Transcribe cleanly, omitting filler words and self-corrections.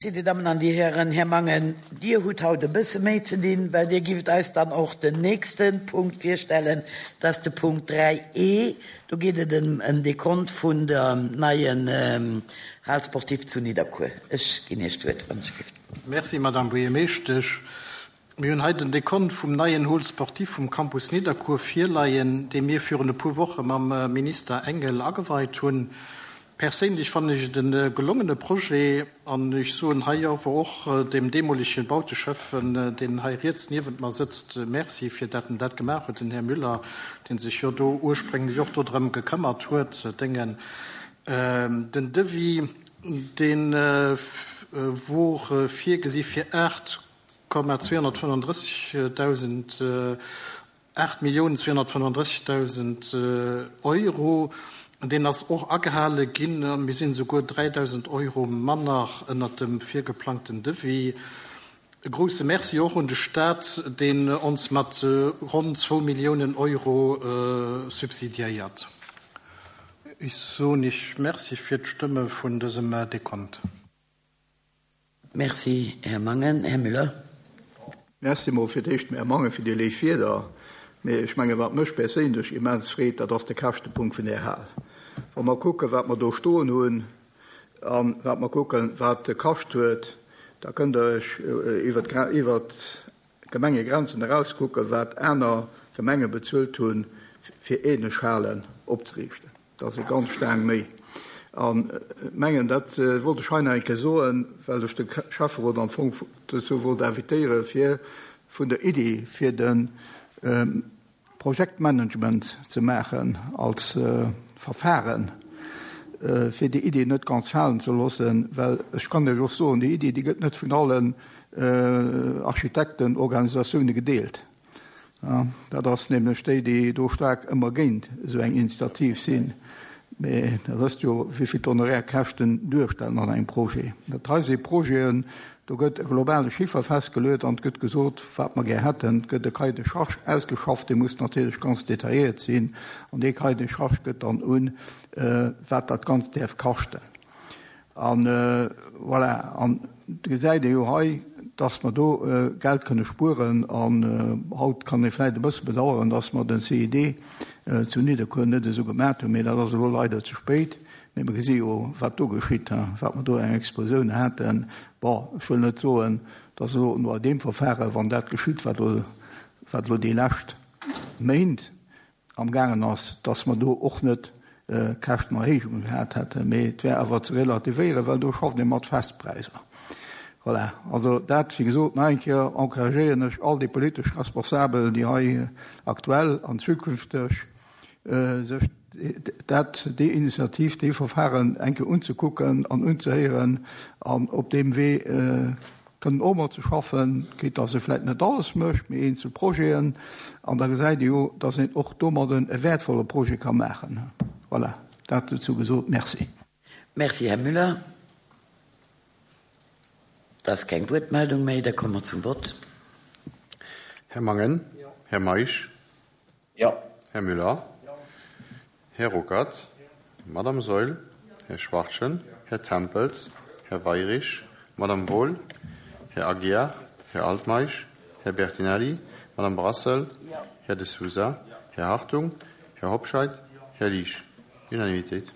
Dir Dammen an Dir Hären, Här Mangen, Dir hutt haut e bësse méi ze dinn, well Dir gift eis dann och den nächste Punkt virstellen, dat ass de Punkt 3 e. Do geet et ëm en Dekont vun der neien Hal sportive zu Nidderkuer. Ech ginn Iech d'Wuert, wann ech gift. Merci, Madame Buergermeeschtesch. Mir hunn hei den Dekont vum neien Hall sportif vum Campus Nidderkuer virleien, dee mir virun e puer Woche mam Minister Engel ageweit hunn. Perséinlech fannen ech et e gelongene Projet an ech soen hei awer och dem deemolege Bauteschäffen, deen hei riets niewent mer sëtzt, Merci fir dat en dat gemaach huet, den Här Müller, dee sech jo do ursprénglech och dodrëm gekëmmert huet. Déngen den Devis, dee wor virgesi fir 8. 235.000, 8.235.000 Euro. Deen ass och agehale ginn. Mir sinn esouguer 3.000 Euro manner ënnert dem virgeplangten Devis. E grouse Merci och un de Stat, deen ons mat ronn zwou Milliounen Euro subsidiéiert. Ech soen Iech Merci fir d'Stëmme vun dësem Dekont. Merci, Här Mangen. Här Müller. Merci mol fir d'éischt, Här Mangen, fir déi léif Wierder. Mee ech mengen, wat mech perséinlech immens freet, dat ass de Käschtepunkt vun där Hal. Wa mer kucken, wat mer do stoen hunn a wat mer kucken, wat e kascht huet, da kënnt Der Iech iwwert d'Gemengegrenzen eraus kucken, wat aner Gemenge bezuelt hunn, fir ähnlech Halen opzeriichten. Dat ass e ganz staang méi. An mengen, dat wollt ech hei nach eng Kéier soen, well ech de Schäfferot am Fong dozou wollt invitéieren, fir vun der Iddi, fir de Projektmanagement ze maachen als Verfahren, fir déi Iddi net ganz falen ze loossen, well ech kann Iech och soen, déi Iddi, déi gëtt net vun allen Architektenorganisatioune gedeelt. Dat ass nämlech déi, déi do staark ëmmer géint esou eng Initiativ sinn. Mee Der wësst jo, wéi vill d'Honorärkäschten duerstellen an engem Projet. Dat hei si Projeten, do gëtt e globale Chiffer festgeluet an et gëtt gesot, wat mer gär hätten. Et gëtt e Cahier de charges ausgeschafft, dee muss natierlech ganz detailléiert sinn. An dee Cahier de charges gëtt dann un, wat dat Ganzt däerf kaschten. An voilà, an do gesäit ee jo hei, dass mer do Geld kënne spueren. An haut kann ee vläicht e bësse bedauern, dass mer den CID zu Nidderkuer net esou gemat hunn, mee dat ass elo leider ze spéit. Mee mer gesi jo, wat do geschitt, wat mer do eng Explosioun haten. Bon, ech wëll net soen, dass elo no deem Verfahre, wann dat geschitt, wat elo, wat elo déi lescht Méint am gaangen ass, dass mer do och net Käschtenerhéijungen gehat hätten, mee et wär awer ze relativéieren, well do schafft ee mat Festpräisser. Voilà, also dat, wéi gesot, nach eng Kéier encouragéieren ech all déi politesch Responsabel, déi hei aktuell an zukünfteg sech dat, déi Initiativ, déi Verfahren eng Kéier unzekucken an unzehéieren an op deem Wee Kënnen och mat ze schaffen, quitte dass e vläit net alles mécht, mee eenzel Projeten. An da gesäit ee jo, dass een och domadden e wäertvolle Projet ka maachen. Voilà, dat dozou gesot. Merci. Merci, Här Müller. Et ass keng Wuertmeldung méi. Da komme mer zum Vott. Här Mangen. Här Meisch. Jo. Här Müller. Här Ruckert. Madame Saeul. Här Schwachtgen. Här Tempels. Här Weirich. Madame Wohl. Här Aguiar. Här Altmeisch. Här Bertinelli. Madame Brassel. Här De Sousa. Här Hartung. Här Hobscheit. Här Liesch. Unanimitéit.